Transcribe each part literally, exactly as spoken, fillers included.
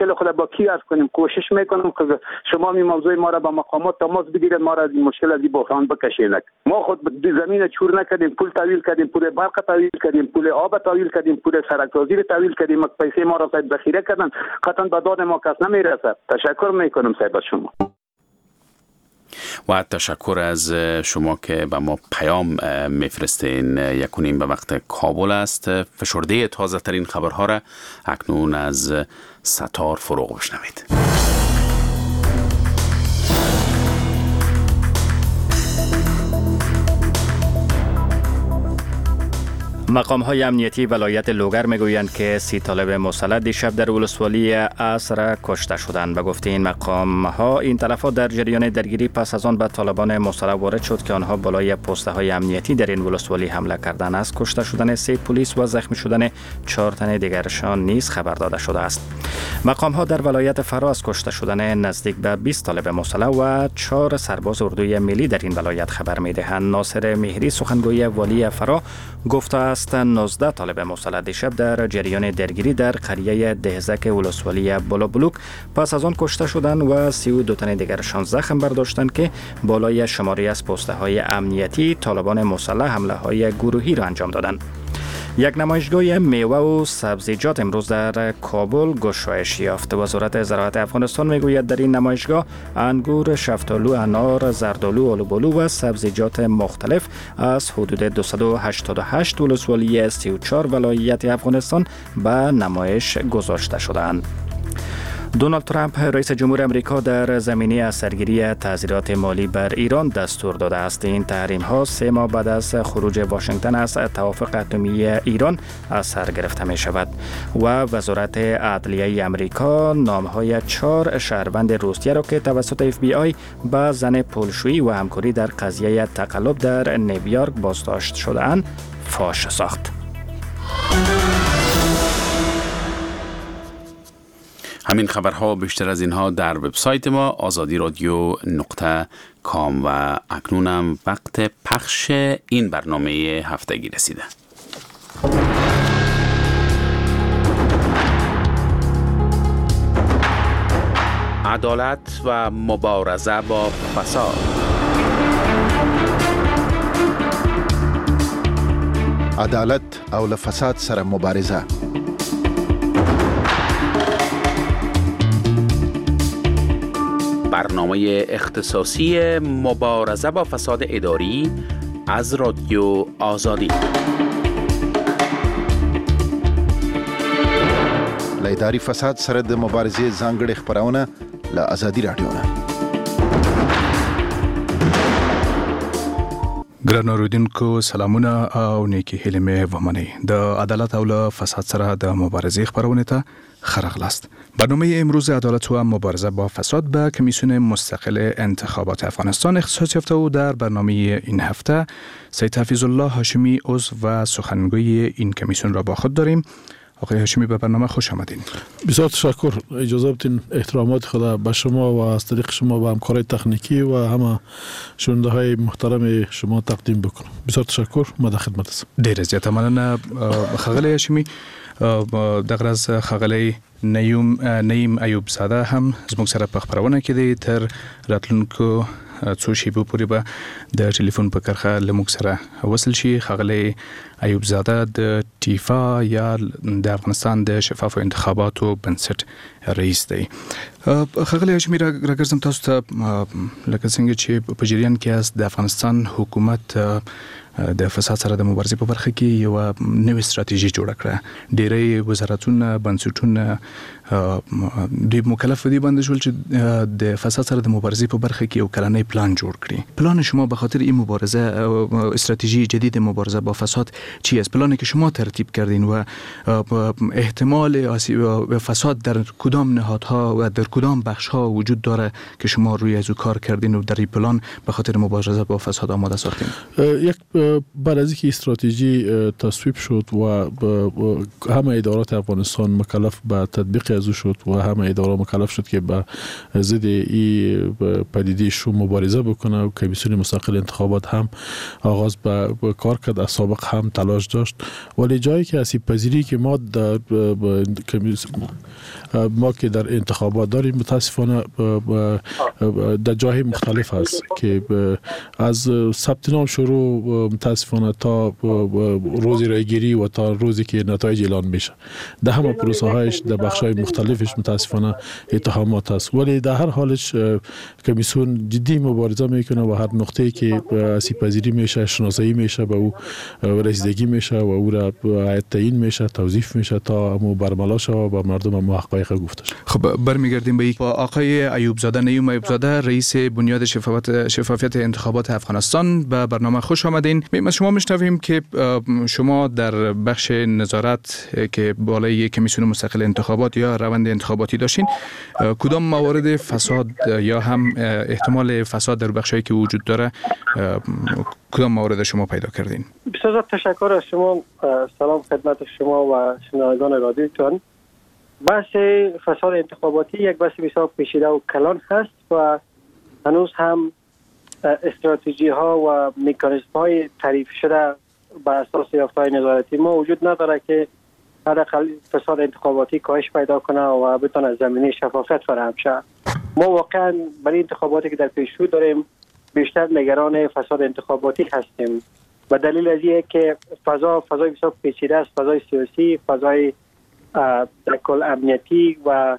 مشکل خود با کی عرض کنیم؟ کوشش میکنم که شما می موضوع ما را با مقامات تماس بگیرید، ما را از این مشکل از این بحران بکشید. ما خود زمین چور نکردیم، پول تحویل کردیم، پول برق تحویل کردیم، پول آب تحویل کردیم، پول سرک‌سازی را تحویل کردیم، پیسه ما را صاحب ذخیره کردن، قطعا به داد ما کس نمیرسد. تشکر میکنم صاحب از شما. و تشکر از شما که به ما پیام میفرستین. یکونیم به وقت کابل است. فشرده تازه ترین خبرها را اکنون از ستار فروغ بشنوید. مقام های امنیتی ولایت لوگر میگویند که سی طالب مسلح دیشب در ولسوالی عصر کشته شدند. به گفته این مقام ها این تلفات در جریان درگیری پس از آن به طالبان مسلح وارد شد که آنها بالای پسته های امنیتی در این ولسوالی حمله کردند. از کشته شدن سه پلیس و زخمی شدن چهار تن دیگرشان نیز خبر داده شده است. مقام ها در ولایت فراه از کشته شدن نزدیک به بیست طالب مسلح و چهار سرباز اردوی ملی در این ولایت خبر میدهند. ناصر مهری سخنگوی والی فراه گفته است نوزده طالب مسلح دیشب در جریان درگیری در قریه دهزک ولسوالی بلوبلوک پس از آن کشته شدند و سی و دو تن دیگرشان زخم برداشتند که بالای شماری از پسته های امنیتی طالبان مسلح حمله های گروهی را انجام دادند. یک نمایشگاه میوه و سبزیجات امروز در کابل گشایش یافت. وزارت زراعت افغانستان میگوید در این نمایشگاه انگور، شفتالو، انار، زردآلو، آلوبالو و سبزیجات مختلف از حدود دویست و هشتاد و هشت ولسوالی سی و چهار ولایت افغانستان به نمایش گذاشته شدند. دونالد ترامپ رئیس جمهور امریکا در زمینه از سرگیری تعزیرات مالی بر ایران دستور داده است. این تحریم ها سه ماه بعد از خروج واشنگتن از توافق اتمی ایران از سر گرفته می شود و وزارت عدلیه امریکا نام های چهار شهروند روسیه را که توسط اف بی آی به زن پولشویی و همکاری در قضیه تقلب در نیویورک بازداشت شده‌اند فاش ساخت. همین خبرها بیشتر از اینها در وبسایت ما آزادی رادیو نقطه کام. و اکنونم وقت پخش این برنامه هفتگی رسیده. عدالت و مبارزه با فساد. عدالت او له فساد سره مبارزه. برنامه اختصاصی مبارزه با فساد اداری از رادیو آزادی. له اداري فساد سره د مبارزې ځانګړې خپرونه له ازادي رادیو نه. ګرانو اورېدونکو سلامونه او نیکې هیلې مې ومنئ. د عدالت او له فساد سره د مبارزې خپرونې ته ښه راغلاست. برنامه امروز عدالت و مبارزه با فساد به کمیسیون مستقل انتخابات افغانستان اختصاص یافته و در برنامه این هفته سید حفیظ الله هاشمی عضو و سخنگوی این کمیسیون را با خود داریم. آقای هاشمی به برنامه خوش آمدین. بسیار تشکر. اجازه بدین احترامات خدا به شما و از طریق شما به همکارای تکنیکی و همه شنونده های محترم شما تقدیم بکنم. بسیار تشکر، ما در خدمت هستم. ډیره زیاته مننه ښاغلی هاشمی. دغه راز ښاغلی نعیم نعیم ایوب زاده هم زموږ سره په خپرونه کې دی. تر راتلونکو څو شیبو پورې به د ټلیفون په کرښه له موږ سره وصل شي. ښاغلی ایوب زاده د ټیفا یا د افغانستان د شفافو انتخاباتو بنسټ رئیس دی. ښاغلی هاشمي راګرځم تاسو ته. لکه څنګه چې په جریان کې یاست، د افغانستان حکومت د فساد سره د مبارزې په برخه کې یوه نوې ستراتیژي جوړه کړه. ډیری وزارتونه، بنسټونه دوی مکلف په دې باندې شول چې د فساد سره د مبارزې په برخه کې یو کلنی پلان جوړ کړي. پلان شما به خاطر این مبارزه، استراتژی جدید مبارزه با فساد چی است؟ پلانی که شما ترتیب کردین و احتمال فساد در کدام نهادها و در کدام بخش‌ها وجود داره که شما روی از او کار کردین و در این پلان به خاطر مبارزه با فساد آماده ساختین؟ یک بعد از اینکه استراتژی تصویب شد و همه ادارات افغانستان مکلف به تطبیق از او شد و همه ادارات مکلف شد که به ضد این پدیده شوم مبارزه بکنه و کمیسیون مستقل انتخابات هم آغاز به کار کرد، از سابق هم تلاش داشت، ولی جایی که آسیب پذیری که ما در ما که در انتخابات داریم متاسفانه در جای مختلف هست که از ثبت نام شروع متاسفانه تا روز رایگیری و تا روزی که نتایج اعلان میشه در همه پروسه هایش در بخش های مختلفش متاسفانه اتهامات هست، ولی در هر حالش کمیسیون جدی مبارزه میکنه و هر نقطه‌ای که آسیب پذیری میشه شناسایی میشه، به او رسیدگی میشه و او را تعیین میشه، توظیف میشه تا امو برملا شه و به مردم امو حقایق گفته شه. خب برمیگردیم به آقای ایوب زاده، نیوم ایوب زاده، رئیس بنیاد شفافیت شفافیت انتخابات افغانستان، به برنامه خوش آمدین. ما شما میشنویم که شما در بخش نظارت که بالای کمیسیون مستقل انتخابات یا روند انتخاباتی داشتین، کدام موارد فساد یا هم احتمال فساد در بخشایی که وجود داره کدام موارد شما پیدا کردین؟ بسیار تشکر از شما، سلام خدمت شما و شنوندگان رادیوتان. بحث فساد انتخاباتی یک بحث بسیار پیچیده و کلان هست و هنوز هم استراتژی ها و مکانیزم های تعریف شده بر اساس یافته‌های نظارتی ما وجود نداره که حداقل فساد انتخاباتی کاهش پیدا کنه و بتونه زمینه شفافیت فراهم شه. ما واقعا برای انتخاباتی که در پیش رو داریم بیشتر نگران فساد انتخاباتی هستیم و دلیل از اینه که فضا فضای بسیار پیچیده است، فضای سیاسی، فضای در کل امنیتی و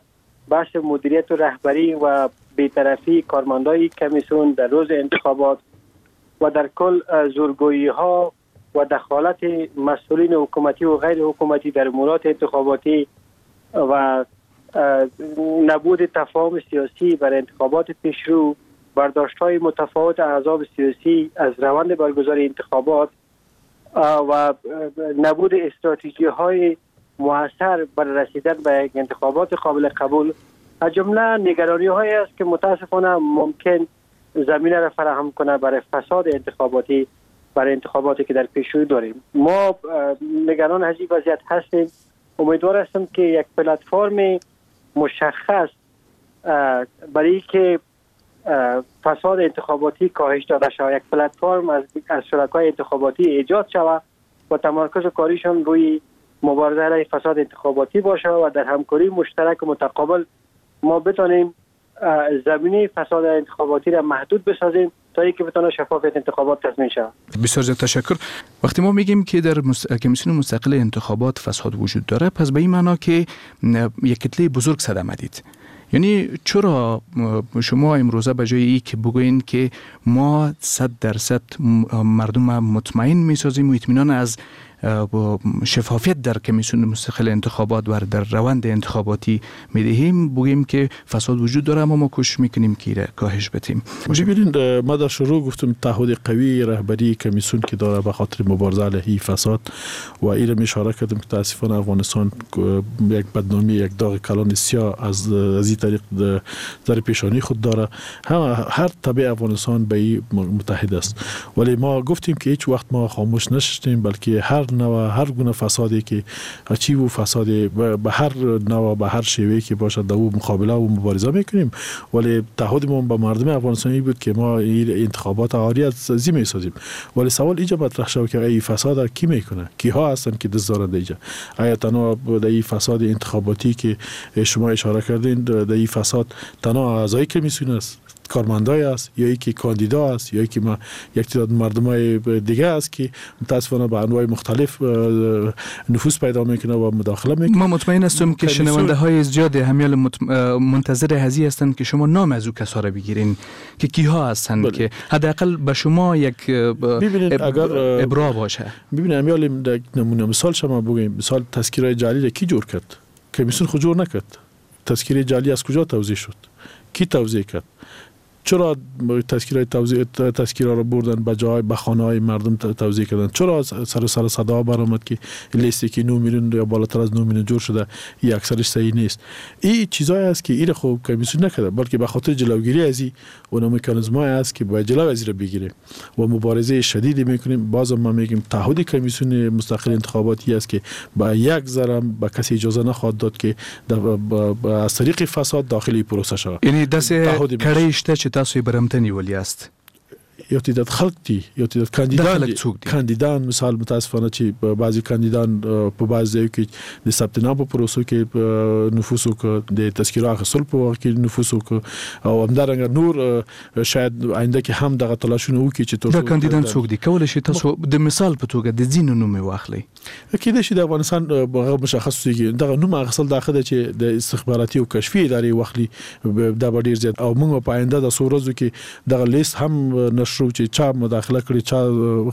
بحث مدیریت و رهبری و بی‌طرفی کارمندای کمیسیون در روز انتخابات و در کل زورگویی ها و دخالت مسئولین حکومتی و غیر حکومتی در امورات انتخاباتی و نبود تفاهم سیاسی بر انتخابات پیشرو، برداشت‌های متفاوت احزاب سیاسی از روند برگزاری انتخابات و نبود استراتژی‌های موثر بر رسیدن به یک انتخابات قابل قبول از جمله نگرانی‌هایی است که متاسفانه ممکن زمینه را فراهم کنه برای فساد انتخاباتی، برای انتخاباتی که در پیش رو داریم. ما نگران از این وضعیت هستیم. امیدوار هستم که یک پلتفرم مشخص برای که فساد انتخاباتی کاهش داده شود، یک پلتفرم از از شرکای انتخاباتی ایجاد شود و تمرکز کاریشان روی مبارزه علیه فساد انتخاباتی باشه و در همکاری مشترک و متقابل ما بتانیم زمینه فساد انتخاباتی را محدود بسازیم تا اینکه بتونه شفافیت انتخابات تضمین شود. بسیار زیاد تشکر. وقتی ما میگیم که در مست... کمیسیون مستقل انتخابات فساد وجود داره، پس به این معنا که یک کتله بزرگ صدمه دید. یعنی چرا شما امروزه به جای ای که بگوین که ما صد درصد مردم مطمئن میسازیم و اطمینان از شفافیت در کمیسیون مستقل انتخابات و در روند انتخاباتی میدهیم، بگوییم که فساد وجود داره اما ما کوشش میکنیم که کاهش بدیم؟ ببینید، ما در شروع گفتم تعهد قوی رهبری کمیسیون که داره به خاطر مبارزه علیه فساد و این اشاره کردم که متاسفانه افغانستان یک بدنامی، یک داغ کلان سیاه از از این طریق در پیشانی خود داره. هم هر تبع افغانستان به این متحد است، ولی ما گفتیم که هیچ وقت ما خاموش نشستیم، بلکه هر نوع هر گونه فسادی که چی و فساد به هر نوع به هر شیوهی که باشد در او مقابله و مبارزه میکنیم، ولی تعهد ما به مردم افغانستانی بود که ما این انتخابات عاری از زی میسازیم. ولی سوال اینجا مطرح شد که این فساد کی میکنه، کیها هستن که دست دارند اینجا؟ آیا تنها در این فساد انتخاباتی که شما اشاره کردین، در این فساد تنها اعضای کمیسیون است، کارمندای است، یا یکی کاندیدا است، یا یکی ما یک تعداد مردمای دیگه است که متاسفانه به انواع مختلف نفوذ پیدا میکنه و مداخله میکنه؟ ما مطمئن هستم که شنونده های زیاد همیال مطم... منتظر هزی هستند که شما نام از او کسا را بگیرین که کیها هستند، بله. که حداقل به شما یک ببینید اگر ابرا باشه. ببینید همیال نمونه مثال شما بگیم، مثال تذکیرهای جعلی را کی جور کرد؟ کمیسیون خود جور نکرد. تذکیره جعلی از کجا توزیع شد؟ کی توزیع کرد؟ چرا تذکیرهای توزیع تذکیرها رو بردن به جای به خانه های مردم توزیع کردن؟ چرا سر سر صدا برآمد که لیستی که نه میلیون یا بالاتر از نه میلیون جور شده این اکثرش صحیح نیست؟ این چیزایی است که این خب کمیسیون نکرده، بلکه به خاطر جلوگیری از این اون مکانیزم‌های است که باید جلو از این بگیره و مبارزه شدیدی میکنیم. بازم ما میگیم تعهد کمیسیون مستقل انتخاباتی است که با یک ذره به کسی اجازه نخواهد داد که از طریق فساد داخلی پروسه شود. یعنی داسې کړۍ شته چې تاسو یې برمته نیولي یاست؟ یو تعداد خلک دي، یو تعداد کاندیدان دي. کاندیدان مثال متاسفانه چې بعضی کاندیدان په بعضی ځایو کې د ثبت نام په پروسو کې نفوذ وکړ، د تذکره اخیستلو په وخت کې نفوذ وکړ او همدارنګه نور شاید آینده کې هم دغه تلاشونه وکړي چې تر دا کاندیدان څوک دي؟ کولی شئ تاسو د مثال په توګه د ځینو نوم یې واخلئ؟ کېدای شي د افغانستان هغه مشخص کېږي. دغه نوم اخیستل دا ښه ده چې د استخباراتي او کشفي ادارې واخلي، دا به ډېر زیات. او موږ په آینده د څو ورځو کې دغه لیست هم نشرو چې چا مداخله کړې، چا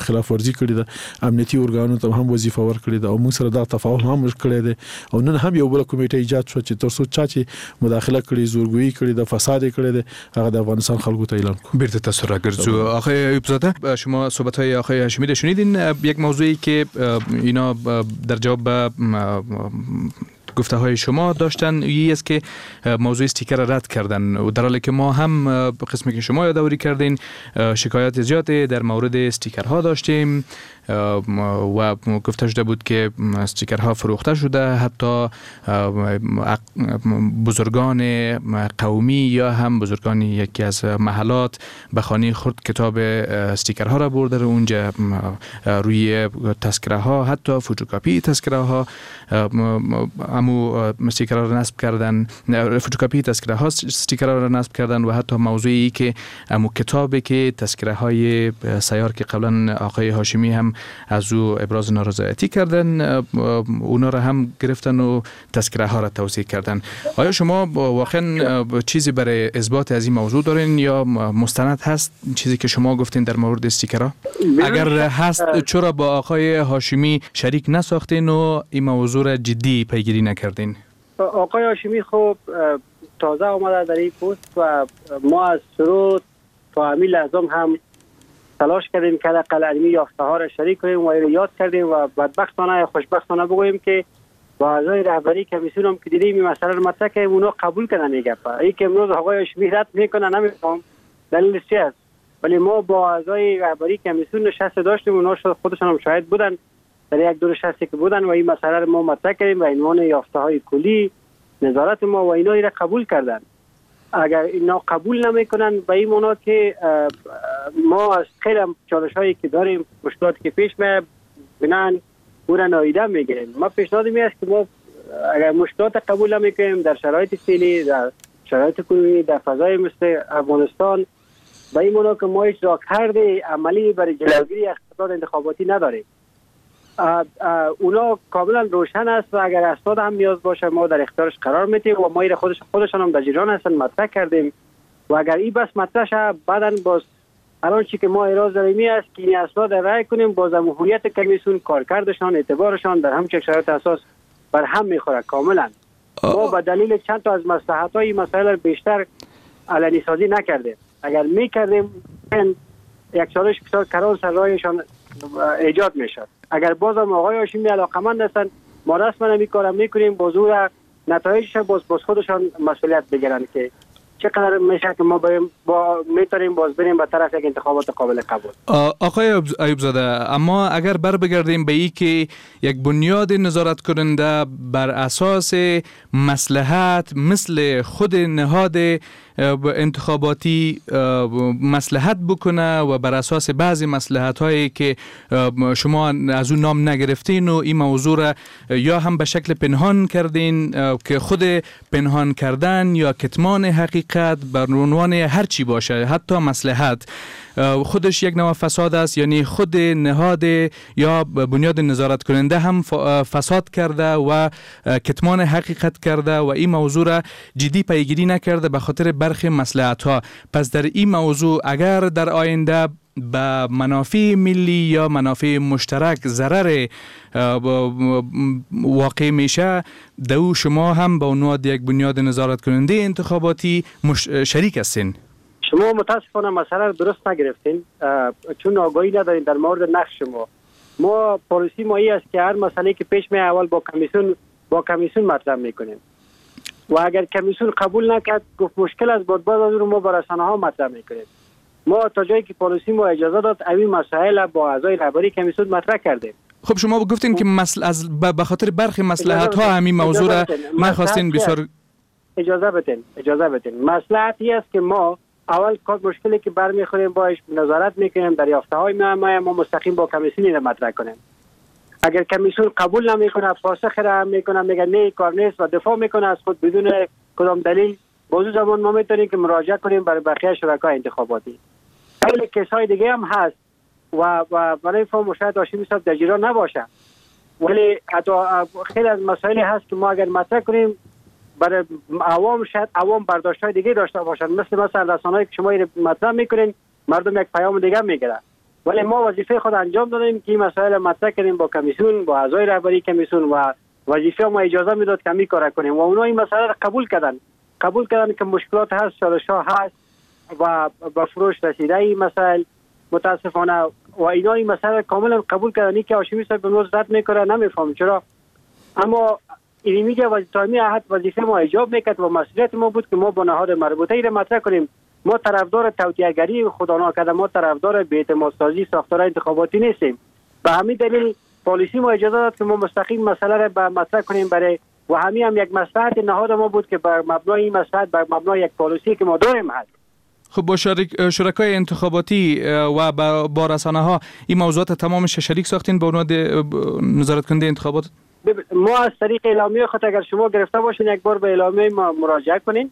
خلاف ورزي کړې ده، امنیتي ارګانونو ته هم وظیفه ورکړې ده او موږ سره دا تفاهم هم کړی دی. او نن هم یو بله کمیټه ایجاد شوه چې تر څو چا چې مداخله کړې، زورګویي کړې ده، فساد یې کړی دی، هغه د افغانستان خلکو ته اعلان کړو. بیرته تاسو راګرځو. آقای ایوب زاده، شما صحبت های آقای هاشمی را شنیدین. یک موضوعی که اینا در جواب به گفته های شما داشتن یی است که موضوع استیکر رد کردن و در حالی که ما هم قسمی که شما یادآوری کردین شکایات زیاد در مورد استیکرها داشتیم و گفته شده بود که استیکرها فروخته شده، حتی بزرگان قومی یا هم بزرگان یکی از محلات به خانه خود کتاب استیکرها را برده اونجا روی تذکره ها، حتی فتوکپی تذکره ها امو استیکرها را نصب کردن، فتوکپی تذکره ها استیکرها را نصب کردن و حتی موضوعی که امو کتابی که تذکره های سیار که قبلا آقای هاشمی هم از او ابراز نارضایتی کردن اونا را هم گرفتن و تذکره ها را توزیع کردن. آیا شما واقعا چیزی برای اثبات از این موضوع دارین یا مستند هست چیزی که شما گفتین در مورد استیکرها؟ اگر هست چرا با آقای هاشمی شریک نساختین و این موضوع را جدی پیگیری نکردین؟ آقای هاشمی خب تازه آمده در این پست و ما از شروع تا همین لحظه هم تلاش کردیم که حداقل علمی یافته ها را شریک کنیم و یاد کردیم و بدبختانه یا خوشبختانه بگوییم که با اعضای رهبری کمیسیون هم که دیدیم این مسئله رو مطرح کردیم، اونا قبول کردن این گپ. این که امروز آقای هاشمی رد میکنه نمیفهم دلیلش چی است، ولی ما با اعضای رهبری کمیسیون نشست داشتیم، اونا خودشان هم شاهد بودن در یک دو نشستی که بودن و این مسئله رو ما مطرح کردیم به عنوان یافته های کلی نظارت ما و اینا را قبول کردن. اگر اینا قبول نمیکنن به این معنا که ما از خیلی چالش هایی که داریم، مشکلاتی که پیش میاد، بنان او را نادیده میگیریم. ما پیشنهاد می است که ما اگر مشکلات قبول نمیکنیم در شرایط فعلی، در شرایط کنونی، در فضای مثل افغانستان، به این معنا که ما هیچ راهکارد عملی برای جلوگیری از فساد انتخاباتی نداریم. اونا کاملا روشن است و اگر اسناد هم نیاز باشه ما در اختیارش قرار میدیم و ما این خودش خودشان هم در جریان هستن مطرح کردیم و اگر این بس مطرح شه بعدن باز الان چی که ما اعتراض داریم است که این اسناد رای کنیم، باز هویت کمیسیون، کارکردشان، اعتبارشان در همچین شرایط اساس بر هم میخوره کاملا. ما به دلیل چند تا از مصلحت های مسائل بیشتر علنی سازی نکردیم. اگر میکردیم یک چالش بسیار کلان سر راهشان ایجاد میشد. اگر بازم آقای هاشمی علاقمند هستند ما رسما این کارم میکنیم، باز او نتایجش باز باز خودشان مسئولیت بگیرن که چقدر میشه که ما بریم با میتونیم باز بریم به طرف یک انتخابات قابل قبول. آقای ایوب زاده، اما اگر بر بگردیم به ای که یک بنیاد نظارت کننده بر اساس مصلحت مثل خود نهاد انتخاباتی مصلحت بکنه و بر اساس بعضی مصلحت هایی که شما از اون نام نگرفتین و این موضوع را یا هم به شکل پنهان کردین که خود پنهان کردن یا کتمان حقیقت بر عنوان هر چی باشه حتی مصلحت خودش یک نوع فساد است، یعنی خود نهاد یا بنیاد نظارت کننده هم فساد کرده و کتمان حقیقت کرده و این موضوع را جدی پیگیری نکرده به خاطر برخی مصلحت ها. پس در این موضوع اگر در آینده به منافع ملی یا منافع مشترک ضرر واقع میشه، دو شما هم به عنوان یک بنیاد نظارت کننده انتخاباتی مش... شریک هستین. شما متاسفانه مسئله رو درست نگرفتین، چون آگاهی ندارین در مورد نقش ما. ما پالیسی ما ای است که هر مسئله که پیش می اول با کمیسیون با کمیسیون مطرح میکنیم و اگر کمیسیون قبول نکرد، گفت مشکل از بعد باز از رو ما با رسانه ها مطرح میکنیم. ما تا جایی که پالیسی ما اجازه داد این مسائل با اعضای رهبری کمیسیون مطرح کردیم. خب شما گفتین که مسئله از به خاطر برخی مصلحت ها همین موضوع را ما خواستین بسیار اجازه بدین اجازه بدین مصلحتی است که ما اول کار مشکلی که برمیخوریم باش نظارت میکنیم، دریافته های ما ما مستقیم با کمیسیون را مطرح کنیم. اگر کمیسیون قبول نمیکنه، پاسخ را میکنه، میگه نه کار نیست و دفاع میکنه از خود بدون کدام دلیل، باز زمان ما میتونیم که مراجعه کنیم برای بقیه شرکای انتخاباتی. خیلی کسای دیگه هم هست و و برای فهم شاید هاشمی صاحب در جریان نباشه، ولی حتی خیلی از مسائلی هست که ما اگر مطرح کنیم برای عوام شاید عوام برداشت‌های دیگه داشته باشن، مثل مثلا رسانه‌ای که شما مطرح میکنین مردم یک پیام دیگه میگیرن، ولی ما وظیفه خود انجام دادیم که این مسائل مطرح کردیم با کمیسیون، با اعضای رهبری کمیسیون و وظیفه ما اجازه میداد که می کار کنیم و اونا این مسئله را قبول کردن قبول کردن که مشکلات هست، چالش‌ها هست و به فروش رسیده این مسائل متاسفانه و اینا این مسئله کاملا قبول کردن. که هاشمی صاحب امروز رد میکنه، نمیفهم چرا، اما این میگه وظیفه احد وظیفه ما ایجاب میکرد و مسئولیت ما بود که ما با نهاد مربوطه ای را مطرح کنیم. ما طرفدار توطئه‌گری خدا ناکرده، ما طرفدار بی‌اعتماد سازی ساختار انتخاباتی نیستیم. به همین دلیل پالیسی ما اجازه داد که ما مستقیم مسئله را به مطرح کنیم برای و همین هم یک مصلحت نهاد ما بود که بر مبنای این مصلحت، بر مبنای یک پالیسی که ما داریم هست. خب با شرک شرکای انتخاباتی و با رسانه ها این موضوعات تمامش شریک ساختین به عنوان نظارت کننده انتخابات؟ ما از طریق اعلامیه خود اگر شما گرفته باشین یک بار به اعلامیه ما مراجعه کنین،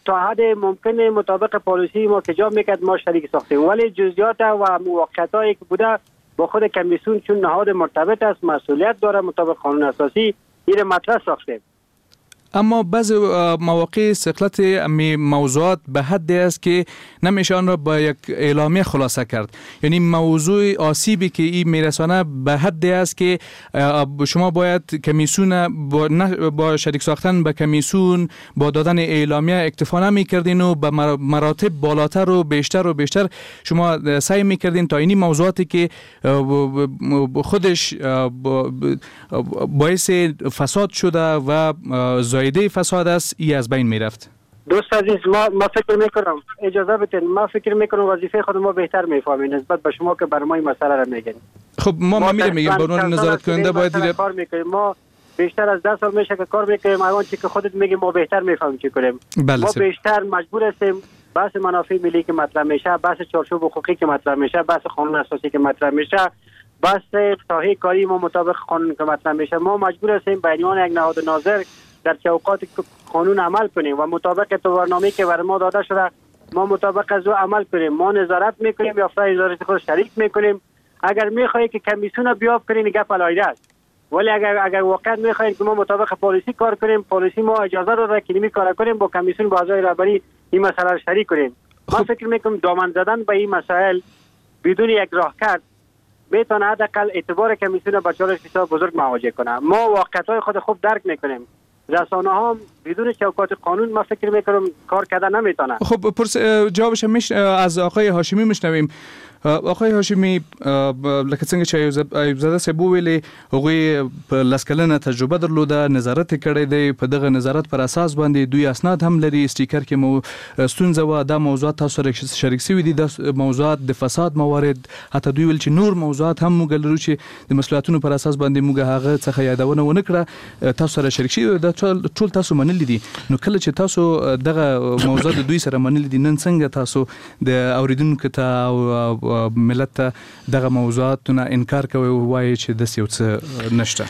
تا حد ممکن مطابق پالیسی ما که جا میکرد ما شریک ساختیم، ولی جزئیات و موافقتایی که بوده با خود کمیسیون چون نهاد مرتبط است، مسئولیت داره مطابق قانون اساسی، این مطرح ساختیم. اما بعض مواقع ثقلت امی موضوعات به حدی است که نمیشه آن را با یک اعلامیه خلاصه کرد، یعنی موضوع آسیبی که این میرسانه به حدی است که شما باید کمیسیون با, با شریک ساختن به کمیسیون با دادن اعلامیه اکتفا نمیکردین و به مراتب بالاتر و بیشتر و بیشتر شما سعی میکردین تا اینی موضوعاتی که خودش باعث فساد شده و زایده فساد است ای از بین میرفت. دوست عزیز، ما ما فکر میکنم اجازه بدین، ما فکر میکنم وظیفه خود ما بهتر میفهمیم نسبت به شما که بر ما این مسئله را میگین. خب ما ما میریم میگیم به عنوان نظارت کننده باید دیگه کار میکنیم. ما بیشتر از ده سال میشه که کار میکنیم، الان چی که خودت میگی ما بهتر میفهمیم چی کنیم. بله ما بیشتر مجبور هستیم بحث منافع ملی که مطرح میشه، بحث چارچوب حقوقی که مطرح میشه، بحث قانون اساسی که مطرح میشه، بحث ساحه کاری ما مطابق قانون که مطرح میشه، ما مجبور هستیم به عنوان یک نهاد ناظر در چوکات قانون عمل کنیم و مطابق برنامه‌ای که بر ما داده شده ما مطابق از او عمل کنیم. ما نظارت میکنیم یا فرای نظارت خود شریک میکنیم. اگر میخواهی که کمیسیون بیاب کنین گپ علیه است، ولی اگر اگر واقعا میخواهید که ما مطابق پالیسی کار کنیم، پالیسی ما اجازه داده که نمی کار کنیم، با کمیسیون با اعضای رهبری این مسئله را شریک کنیم. ما فکر میکنم دامن زدن به این مسائل بدون یک راهکار میتونه حداقل اعتبار کمیسیون با چالش بسیار بزرگ مواجه کنه. ما واقعیت‌های خود خوب درک میکنیم. رسانه ها بدون چوکات قانون ما فکر میکنم کار کردن نمیتونه. خب پرس جوابش مش از آقای هاشمی میشنویم. آقای هاشمی، لکه څنګه چې ایوب زاده صاحب وویلې هغوی په لس کلنه تجربه درلوده، نظارت یې کړی دی، په دغه نظارت پر اساس باندې دوی اسناد هم لري، سټیکر کې مو ستونزه وه، دا موضوعات تاسو سره شریک سوي دي، دا موضوعات د فساد موارد، حتی دوی ویل چې نور موضوعات هم موږ لرو چې د مسؤلیتونو پر اساس باندې موږ هغه څخه یادونه ونه کړه، تاسو سره شریک شوي، دا ټول تاسو منلي دي. نو کله چې تاسو دغه موضوعات دوی سره منلي دي، نن څنګه تاسو د اوریدونکو ته او ملت ته دغه موضوعاتونه انکار کوي او وایي چې داسې یو څه نشته؟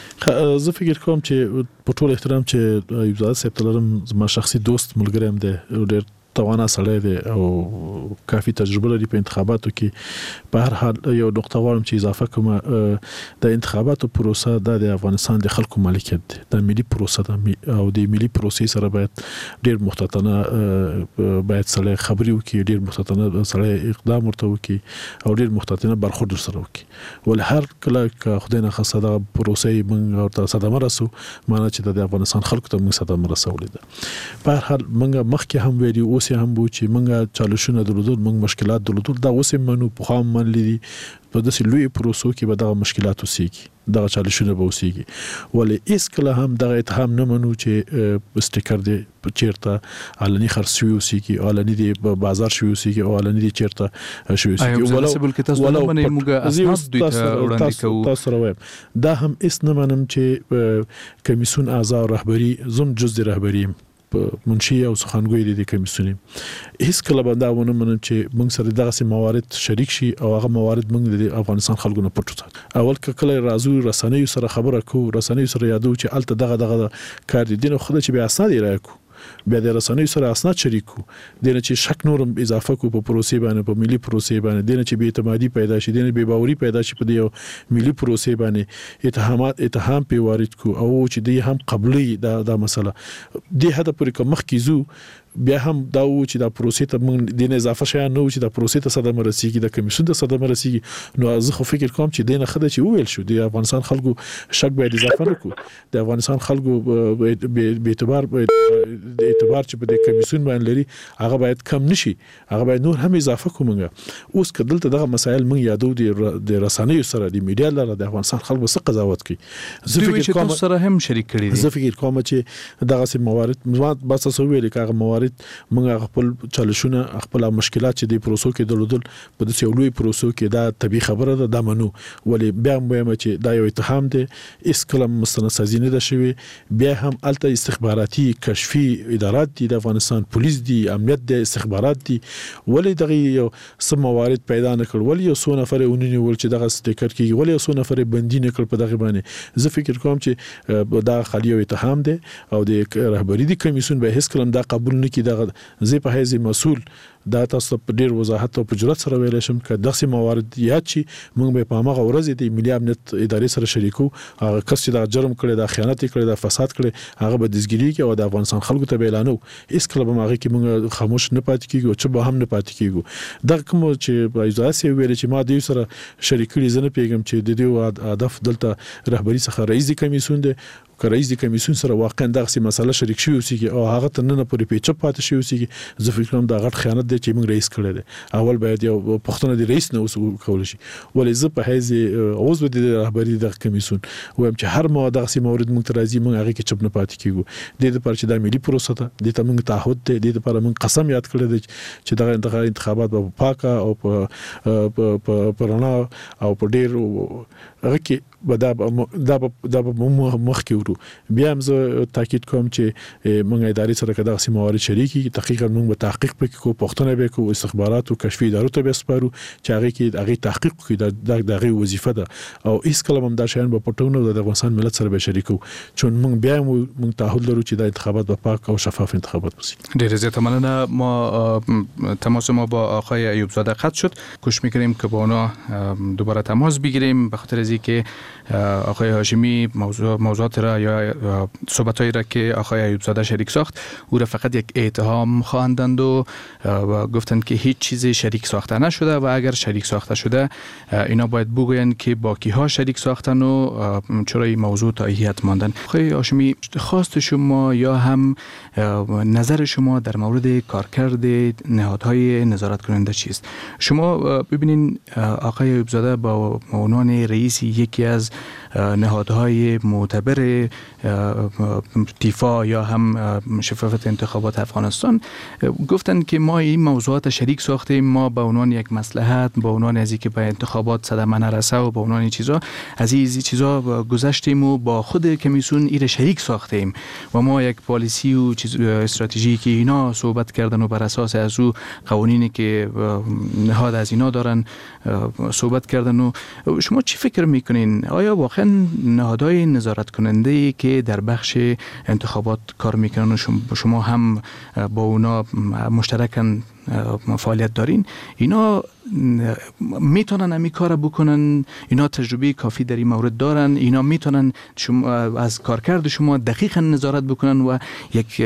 زه فکر کوم چې په ټول احترام چې ایوب زاده صاحب ته لرم، زما شخصي دوست ملګری هم دی، ډېر توانا سړی دی او کافي تجربه لري په انتخاباتو کې. په هر حال یو نقطه غواړم چې اضافه کوم، د انتخاباتو پروسه دا د افغانستان د خلکو مالکیت دی، دا ملي پروسه ده او د ملي پروسې سره باید ډېر محتاطانه باید سړی خبرې وکړي، ډېر محتاطانه سړی اقدام ورته وکړي او ډېر محتاطانه برخورد ورسره وکړي. ولې هر کله که خدای نخواسته دغه پروسې موږ ورته صدمه رسو، معنا چې د افغانستان خلکو ته موږ صدمه رسولې ده. په هر حال موږ مخکې هم ویلي، اوس اوس هم وو چې موږ چالشونه درلودل، موږ مشکلات درلودل، دا اوس هم منو، پخوا هم منلي دي. په داسې لویو پروسو کې به دغه مشکلات اوسېږي، دغه چالشونه به اوسېږي، ولې هېڅکله هم دغه اتهام نه منو چې سټیکر دې چیرته علني خرڅ شوي اوسېږي، علني دې بازار شوي اوسېږي او علني دې چیرته شوي اوسېږي. تاسو سره وایم دا هم هېڅ نه منم چې کمیسیون اعضا او رهبري، زه هم جز د رهبري یم، منشي او سخنګوی د دې کمیسیون یم، هېڅکله به دا ونه منم چې موږ سره دغسې موارد شریک شي او هغه موارد موږ د افغانستان خلکو نه پټ وساتو. اول که کله راځو رسنیو سره خبره کوو، رسنیو سره یادو چې هلته دغه دغه کار دی، دې نه ښه ده چې بیا اسناد ارائه کړو، بیا د رسنیو سره اسناد شریک کړو، دې نه چې شک نور هم اضافه کړو په پروسې باندې، په ملي پروسې باندې، دې نه چې بې اعتمادي پیدا شي، دې نه بې باوري پیدا شي په دې یو ملي پروسې باندې، اتهامات اتهام پې وارد کړو او چې دی هم قبلوي دا دا مسله. دې حده پورې که مخکې ځو بیا هم دا و چې دا پروسې ته موږ دې نه اضافه شیان نه و چې دا پروسې ته صدمه رسیږي، د کمیسیون ته صدمه رسیږي. نو زه خو فکر کوم چې دې نه ښه ده چې وویل شو د افغانستان خلکو شک باید اضافه نه کړو، د افغانستان خلکو بې اعتبار اعتبار چې په دې کمیسیون باندې لري هغه باید کم نشي، هغه باید نور هم اضافه کړو. موږ اوس که دلته دغه مسایل موږ یادو د رسنیو سره، د میډیا لاره، د افغانستان خلکو څه قضاوت کوي؟ زه فکر کوم سره هم شریک کړي دي. زه فکر کوم چې دغسې موارد ما بس تاسو ویلې که هغه موارد موږ خپل چالشونه، خپل مشکلات چې د پروسو کې درلودل په داسې یو لوی پروسو کې، دا طبیعي خبره ده، دا منو. ولې بیا هم وایم چې دا یو اتهام دی، هېڅکله مستندسازي نه ده شوې. بیا هم هلته استخباراتي کشفي ادارات دي، د افغانستان پولیس دي، امنیت دی، استخبارات دي، ولې دغه یو څه موارد پیدا نه کړ؟ ولې یو څو نفر یې ونه نیول چې دغه سټیکر کېږي؟ ولې یو څو نفر یې بندي نه کړ په دغه باندې؟ زه فکر کوم چې دا خالي یو اتهام دی او د رهبري د کمیسیون به هېڅکله هم دا قبول نه کړي. دغه زه په حیث مسؤل دا تاسو ته په ډېر وضاحت او په جرأت سره ویلی شم که دغسې موارد یاد شي موږ به په هماغه ورځ د ملي امنیت ادارې سره شریکو. هغه کس چې دا جرم کړی، دا خیانت یې کړی، دا فساد کړی، هغه به دستګیرېږي او د افغانستان خلکو ته به اعلانوو. هېڅکله به هغې کې موږ خاموش نه پاتې کېږو، چوپ به هم نه پاتې کېږو. دغه کوم چې ایزاده صاحب ویلې چې ما دوی سره شریک کړي، زه نه پوهېږم چې د دوی هدف دلته رهبري څخه رئیس د کمیسیون دی، که رئیس د کمیسیون سره واقعا دغسې مسله شریک شوې اوسېږي او هغه تر ننه پورې پیچپ پاتې شوې اوسېږي، زه فکر کوم دا غټ خیانت دی چې موږ رئیس کړی دی. اول باید یو پوښتنه د رئیس نه اوس وکول شي. ولې زه په حیث عضو د رهبري دغه کمیسیون وایم چې هر مو دغسې مورد موږ ته راځي، موږ هغې کې چپ نه پاتې کېږو. دې دپاره چې دا ملي پروسه ده، دې ته موږ تعهد دی، دې دپاره موږ قسم یاد کړی دی چې دغه دغه انتخابات به په پاکه او په په رڼا او په ډېر هغه کې به دا دا دا به موږ مخکې وړو. بیا هم زه تاکید کوم چې موږ ادارې سره که دغسې موارد شریکېږي، تحقیقا موږ به تحقیق پکې کوو، پوښتنه به کوو، استخباراتو کشفي ادارو ته به سپارو چې هغې کې هغې تحقیق وکړي. دا د هغې وظیفه ده او هېڅکله به هم دا شیان به پټو نه، د افغانستان ملت سره به شریکو، چون موږ بیا هم موږ تعهد لرو چې دا انتخابات به پاک او شفاف انتخابات وسی. ډېره زیاته مننه. ما تماس ما با آقای ایوب زاده قطع شد. کوشش میکنیم که با اونا دوباره تماس بگیریم، به خاطر از اینکه آقای هاشمی موضوع موضوعات را یا صحبت‌هایی را که آقای ایوب زاده شریک ساخت او را فقط یک اتهام خواندند و گفتند که هیچ چیزی شریک ساخته نشده و اگر شریک ساخته شده اینا باید بگویند که با کیها شریک ساختن و چرا این موضوع تا هیئت ماندن. آقای هاشمی، خواست شما یا هم نظر شما در مورد کارکرد نهادهای نظارت کننده چیست؟ شما ببینین آقای ایوب زاده با عنوان رئیس یکی از نهادهای معتبر تیفا یا هم شفافیت انتخابات افغانستان گفتند که ما این موضوعات شریک ساختیم، ما به عنوان یک مصلحت، به عنوان از اینکه به انتخابات صدمه نرسه و به عنوان این چیزا از این چیزا گذشتیم و با خود کمیسیون ایره شریک ساختیم و ما یک پالیسی و چیز استراتژی که اینا صحبت کردن و بر اساس از او قوانینی که نهاد از اینا دارن صحبت کردن. و شما چی فکر میکنین؟ آیا واقعا نهادهای نظارت کننده ای که در بخش انتخابات کار میکنن و شما هم با اونا مشترکن فعالیت دارین، اینا میتونن امی کار بکنن، اینا تجربه کافی در این مورد دارن، اینا میتونن شما از کارکرد شما دقیقا نظارت بکنن و یک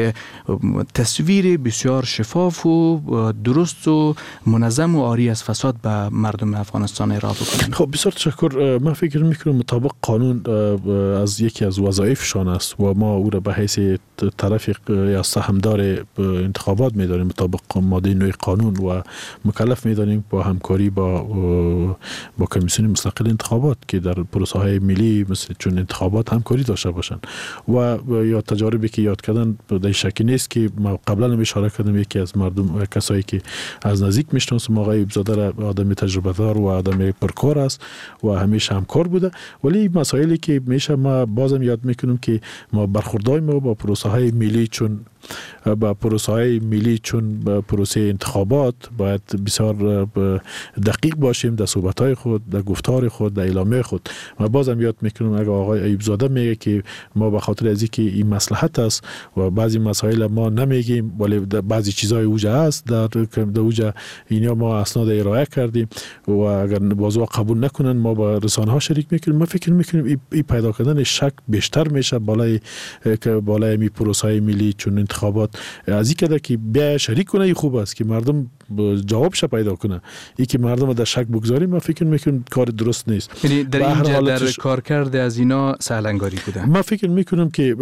تصویر بسیار شفاف و درست و منظم و عاری از فساد به مردم افغانستان ارائه بکنن. خب بسیار تشکر. من فکر میکنم مطابق قانون از یکی از وظایفشان است و ما او را به حیث طرف یا سهمدار انتخابات میدانیم مطابق ماده نه قانون و مکلف میدانیم با همکاری با با کمیسیون مستقل انتخابات که در پروسه های ملی مثل چون انتخابات همکاری داشته باشند و یا تجاربی که یاد کردن در شکی نیست که ما قبلا هم اشاره کردم، یکی از مردم کسایی که از نزدیک میشناسم آقای ایوبزاده را آدم تجربه دار و آدم پرکار است و همیشه همکار بوده. ولی مسائلی که میشه ما بازم یاد میکنم که ما برخوردهای ما با پروسه های ملی چون با پروسه های ملی چون با پروسه انتخابات باید بسیار دقیق باشیم در صحبت های خود، در گفتار خود، در اعلامیه خود. ما بازم یاد میکنم اگر آقای ایوبزاده میگه که ما به خاطر از اینکه این مصلحت است و بعضی مسائل ما نمیگیم ولی بعضی چیزای اوجه است در در اوجه اینا ما اسناد ارائه کردیم و اگر بازو قبول نکنن ما با رسانه ها شریک میکنیم. ما فکر میکنیم این پیدا کردن شک بیشتر میشه بالای بالای می پروسه های ملی چون انتخابات از این که بیا شریک کنه خوب است که مردم جوابش پیدا کنه. ای که مردم در شک بگذاریم ما فکر میکنم کار درست نیست. یعنی در اینجا در کارکرد از اینا سهلنگاری بوده. ما فکر میکنم که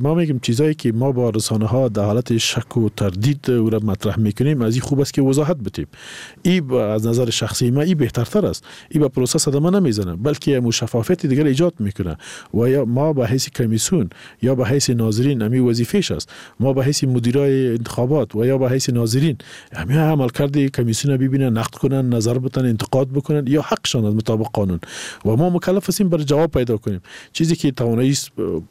ما میگیم چیزایی که ما با رسانه ها در حالت شک و تردید او را مطرح میکنیم از این خوب است که وضاحت بدیم. ای از نظر شخصی ما ای بهترتر است. ای به پروسه صدمه نمیزنه بلکه مو شفافیت دیگر ایجاد میکنه و یا ما به حیث کمیسیون یا به حیث ناظرین امی وظیفه‌ش است. ما به حیث مدیرای انتخابات و یا به حیث ناظرین همه عملکرد کمیسیون ببینن، نقد کنن، نظر بدن، انتقاد بکنن یا حقشان از مطابق قانون و ما مکلف هستیم برای جواب پیدا کنیم. چیزی که توانایی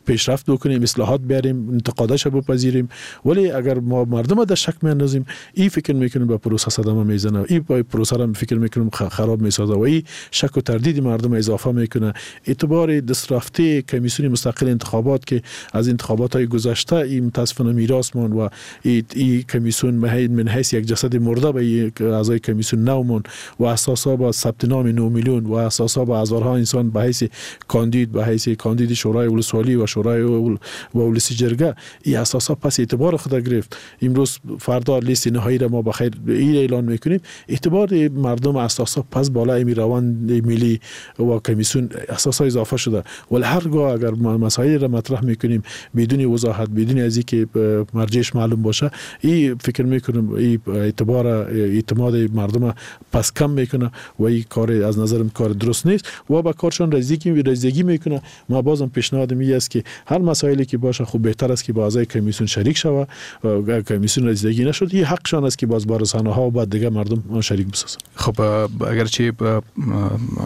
پیشرفت بکنیم، اصلاحات بیاریم، انتقادش بپذیریم. ولی اگر ما مردم در شک میاندازیم این فکر میکنیم به پروسه صدمه میزنه، این پروسه را فکر میکنیم خراب میسازه و این شک و تردید مردم اضافه میکنه. اعتبار دست رفته کمیسیون مستقل انتخابات که از انتخابات های گذشته این متاسفانه میراث مان و این کمیسیون من حیث یک جسد مرده به اعضای کمیسیون نومون و اساسا با ثبت نام نه میلیون و اساسا با هزارها انسان به حیث کاندید به حیث کاندید شورای ولسوالی و شورای و ولسی جرگه این اساسا پس اعتبار خود گرفت. امروز فردا لیست نهایی را ما بخیر این اعلان میکنیم. اعتبار مردم اساسا پس بالای می روند ملی و کمیسیون اساسا اضافه شده. ولی هرگاه اگر ما مسائل را مطرح میکنیم بدون وضاحت، بدون از اینکه مرجعش معلوم باشه، این فکر میکنم این اعتبار اعتماد مردم پس کم میکنه و این کار از نظرم کار درست نیست و با کارشان رزیدگی رزیدگی میکنه. ما بازم پیشنهاد می است که هر مسائلی که باشه خوب بهتر است که با اعضای کمیسیون شریک شوه. اگر کمیسیون رزیدگی نشد این حقشان است که باز با رسانه ها و با دیگه مردم شریک بسازن. خب اگرچه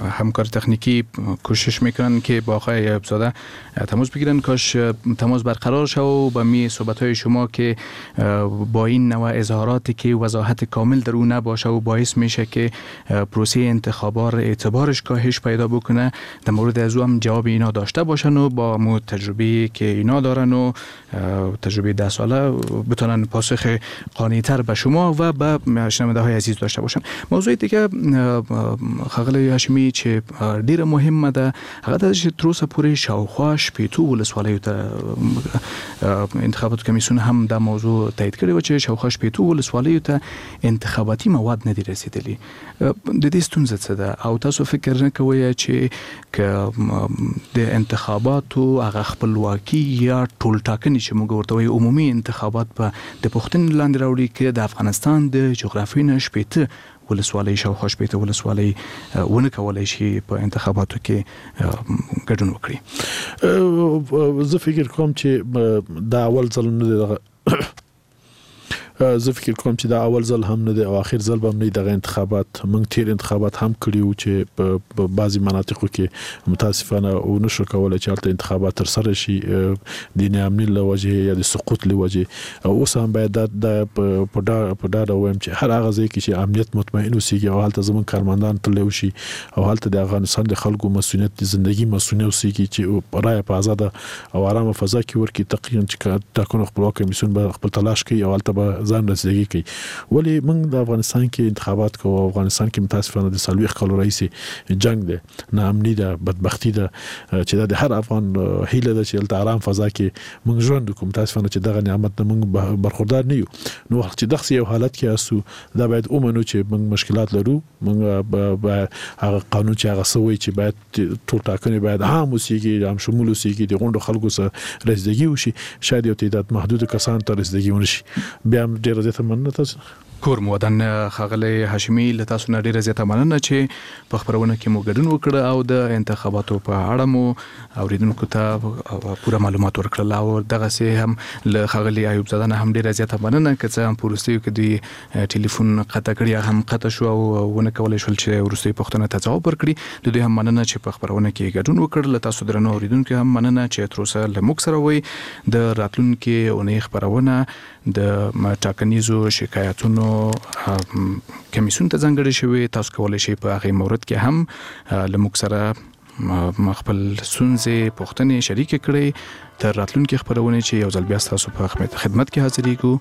همکار تکنیکی کوشش میکنن که با آقای ایوبزاده تماس بگیرن، کاش تماس برقرار شو و با می صحبت های شما که با این نوع اظهاراتی که وضاحت کامل در او نباشه و باعث میشه که پروسه انتخابات اعتبارش کاهش پیدا بکنه، در مورد از او هم جواب اینا داشته باشن و با مو تجربه که اینا دارن و تجربه ده ساله بتونن پاسخ قانع‌تر به شما و به شنونده های عزیز داشته باشن. موضوع دیگه ښاغلی هاشمي چې ډیره مهمه ده هغه دا چې تر اوسه پورې شاوخوا شپېتو ولسوالیو ته انتخاباتو کمیسیون هم دا موضوع تایید کړې وه چې شاوخوا شپېتو ولسوالیو ته انتخاباتي مواد نه دي رسېدلي. د دې ستونزه څه ده او تاسو فکر نه کوئ چې که د انتخاباتو هغه خپلواکي یا ټولټاکنې چې موږ ورته وایو عمومي انتخابات به د پوښتنې لاندې راوړي که د افغانستان د جغرافیې نه شپېته ولسوالۍ شاوخوا شپېته ولسوالۍ ونه کولای شي په انتخاباتو کې ګډون وکړي؟ زه فکر کوم چې دا اول ځل نه دی دغه زه فکر کوم چې دا اول ځل هم نه دی او اخر ځل به هم نه دغه انتخابات. موږ تیر انتخابات هم کړي وو چې په بعضې مناطقو کې متاسفانه ونه شو کولی چې هلته انتخابات ترسره شي د ناامني له وجې یا د سقوط له وجې. او اوس هم باید دا په ډاډه ووایم چې هر هغه ځای کې چې امنیت مطمئن اوسېږي او هلته زموږ کارمندان تللی وشي او هلته د افغانستان د خلکو مسؤلیت د زندګي مسؤلیت اوسېږي چې رایه په ازاده او ارامه فضا کې ورکړي، تقریبا چې ټاکنو خپلواک کمیسیون به خپل تلاش کوي او هلته به ځان رسیدګي کوي. ولی موږ د افغانستان کې انتخابات کوو، افغانستان کې متاسفانه د څلوېښت کالو راهیسې جنګ دی، ناامني ده، بدبختي ده، چې دا د هر افغان هیله ده چې هلته ارام فضا کې موږ ژوند وکړو. متاسفانه چې دغه نعمت نه موږ برخوردار نه یو. نو چې دغسې یو حالت کې یاستو، دا باید ومنو چې موږ مشکلات لرو. موږ هغه قانون چې هغه څه وایي چې باید ټول ټاکنې باید عام اوسېږي، عام شمول اوسېږي، د غونډو خلکو سره رسیدګي وشي، شاید یو تعداد محدود کسان ته رسیدګي ونشي. بیا هم ډېره زیاته مننه تاسو. کور مو ودان ښاغلی هاشمي، له تاسو نه ډېره زیاته مننه چې په خپرونه کې مو ګډون وکړ او د انتخاباتو په اړه مو اوریدونکو ته پوره معلومات ورکړل. او دغسې هم له ښاغلي ایوب زاده نه هم ډېره زیاته مننه، که څه هم په وروستیو کې دوی ټلیفون قطع کړي یا هم قطع شو او ونه کولی شول چې وروستۍ پوښتنه ته ځواب ورکړي. د دوی هم مننه چې په خپرونه کې ګډون وکړ. له تاسو درنو اوریدونکو هم مننه چې تر اوسه له موږ سره وئ. د راتلونکې اونۍ خپرونه د ټاکنیزو شکایتونو کمیسیون ته ځانګړې شوې. تاسو کولی شئ په هغې مورد کې هم له موږ سره خپل ستونزې پوښتنې شریکې کړئ. تر راتلونکې خپرونې چې یو ځل بیا ستاسو په خدمت کې حاضرېږو.